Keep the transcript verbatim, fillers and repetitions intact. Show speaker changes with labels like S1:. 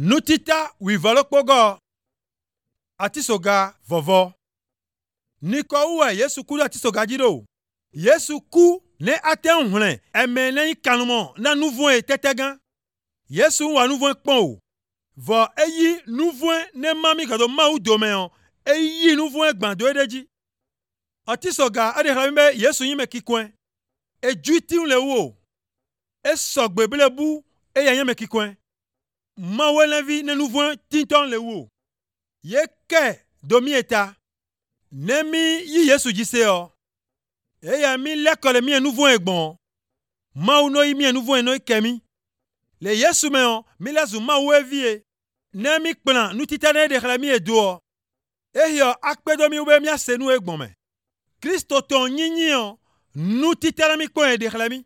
S1: Nutita wivalokpogo atisoga vovo. Niko uwe Yesu ku atisoga jiro. Yesu ku ne ate unhlen eme ne kanumo na nouveau e tetegan. Yesu wa nouveau pon. Vo eyi nouveau ne mami kado ma u domeon eyi nouveau gbando edeji. Atisoga ade hlambe Yesu yime kikwen. E juiti unle wo. E sogbe belebu e yanyeme kikwen. Ma welevi ne nouveau tinton le wo. Ye ke domi eta. Nemi yi Yesu jiseo. E ya mi lekole mi nouveau egbon. Ma uno yi mi nouveau eno kemi. Le Yesu meon mi lezu ma wevie. Nemi plan nu titane de khlami edo. E yo akpedo mi ube mi asenu egbon me. Kristo ton nyinyi nu titane mi kwen de khlami.